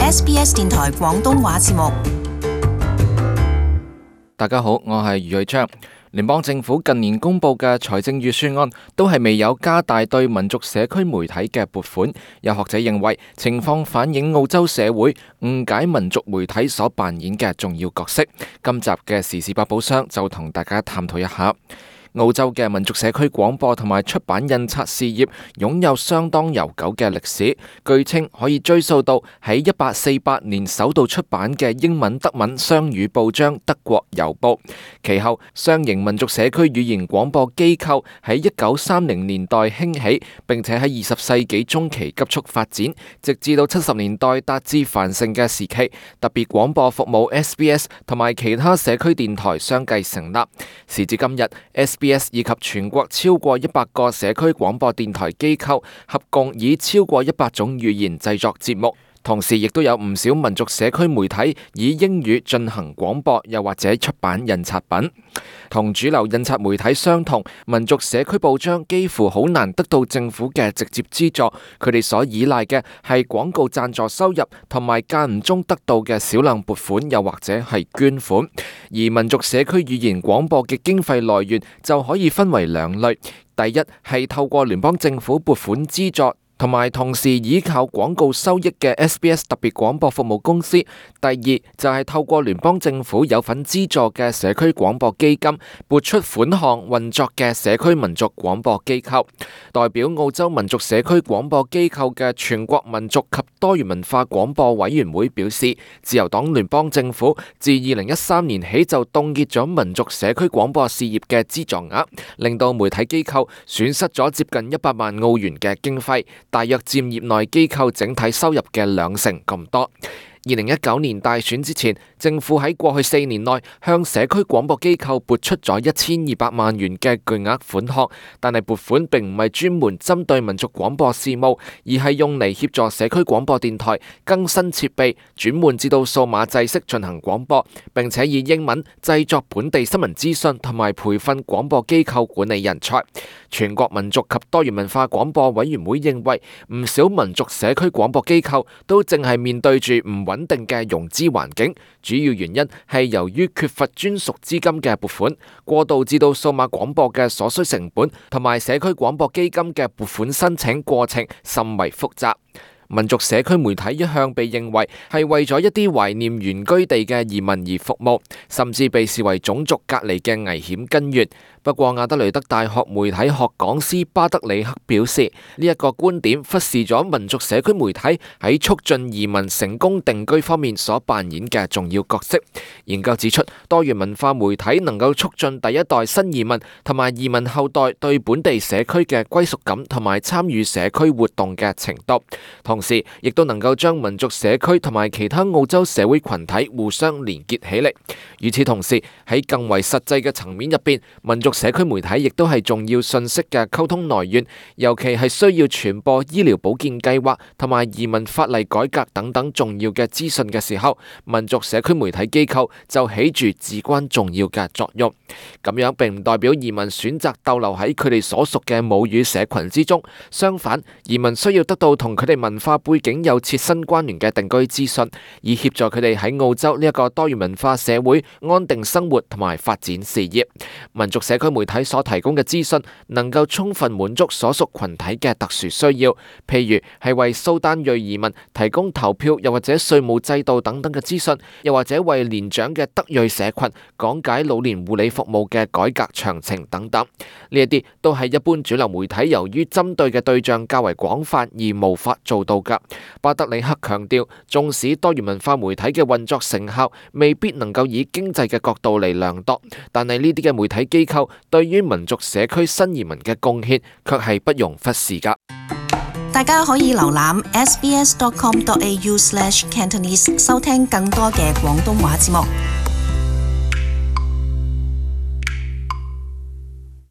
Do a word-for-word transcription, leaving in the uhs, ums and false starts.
S B S 電台廣東話節目。大家好，我係余偉昌。聯邦政府近年公布嘅財政預算案都係未有加大對民族社區媒體嘅撥款。有學者認為情況反映澳洲社會誤解民族媒體所扮演嘅重要角色。今集嘅時事百寶箱就同大家探討一下。澳洲嘅民族社區廣播同埋出版印刷事業擁有相當悠久嘅歷史，據稱可以追溯到喺一八四八年首度出版嘅英文德文雙語報章《德國郵報》。其後，雙型民族社區語言廣播機構喺一九三零年代興起，並且喺二十世紀中期急速發展，直至到七十年代達至繁盛嘅時期。特別廣播服務 S B S 同埋其他社區電台相繼成立。時至今日 ，S B S 以及全國超過一百個社區廣播電台機構，合共以超過一百種語言製作節目。同時，亦都有唔少民族社區媒體以英語進行廣播，又或者出版印刷品。同主流印刷媒體相同，民族社區報章幾乎好難得到政府嘅直接資助，佢哋所依賴嘅係廣告贊助收入，同埋間唔中得到嘅少量撥款，又或者係捐款。而民族社區語言廣播嘅經費來源就可以分為兩類，第一係透過聯邦政府撥款資助，同埋同時依靠廣告收益嘅 S B S 特別廣播服務公司。第二就係透過聯邦政府有份資助嘅社區廣播基金撥出款項運作嘅社區民族廣播機構。代表澳洲民族社區廣播機構嘅全國民族及多元文化廣播委員會表示，自由黨聯邦政府自二零一三年起就凍結咗民族社區廣播事業嘅資助額，令到媒體機構損失咗接近一百萬澳元嘅經費，大約佔業內機構整體收入嘅兩成咁多。二零一九年大選之前，政府喺過去四年內向社區廣播機構撥出咗一千二百萬元嘅巨額款項，但係撥款並唔係專門針對民族廣播事務，而係用嚟協助社區廣播電台更新設備，轉換至到數碼制式進行廣播，並且以英文製作本地新聞資訊同埋培訓廣播機構管理人才。全國民族及多元文化廣播委員會認為，唔少民族社區廣播機構都正係面對住唔穩定嘅融資環境，主要原因係由於缺乏專屬資金嘅撥款，過渡至到數碼廣播嘅所需成本，同埋社區廣播基金嘅撥款申請過程甚為複雜。民族社區媒體一向被認為係為咗一啲懷念原居地嘅移民而服務，甚至被視為種族隔離嘅危險根源。不過，亞德雷德大學媒體學講師巴德里克表示，呢、這、一個觀點忽視咗民族社區媒體喺促進移民成功定居方面所扮演嘅重要角色。研究指出，多元文化媒體能夠促進第一代新移民同埋移民後代對本地社區嘅歸屬感同埋參與社區活動嘅程度，同時亦都能夠將民族社區同埋其他澳洲社會群體互相連結起嚟。與此同時，喺更為實際嘅層面入邊，民族社區媒體亦都係重要信息嘅溝通來源，尤其係需要傳播醫療保健計劃同埋移民法例改革等等重要嘅資訊嘅時候，民族社區媒體機構就起住至關重要嘅作用。咁樣並唔代表移民選擇逗留喺佢哋所屬嘅母語社群之中，相反，移民需要得到同佢哋文化背景有切身關聯嘅定居資訊，以協助佢哋喺澳洲呢一個多元文化社會安定生活同埋發展事業。民族社區媒體所提供嘅資訊能夠充分滿足所屬群體嘅特殊需要，譬如係為蘇丹裔移民提供投票又或者稅務制度等等嘅資訊，又或者為年長嘅德裔社群講解老年護理服務嘅改革詳情等等。呢一啲都係一般主流媒體由於針對嘅對象較為廣泛而無法做到㗎。巴德里克強調，縱使多元文化媒體嘅運作成效未必能夠以經濟嘅角度嚟量度，但係呢啲嘅媒體機構對於民族社區新移民嘅貢獻卻係不容忽視㗎。大家可以瀏覽 s b s dot com dot a u slash cantonese 收聽更多嘅廣東話節目。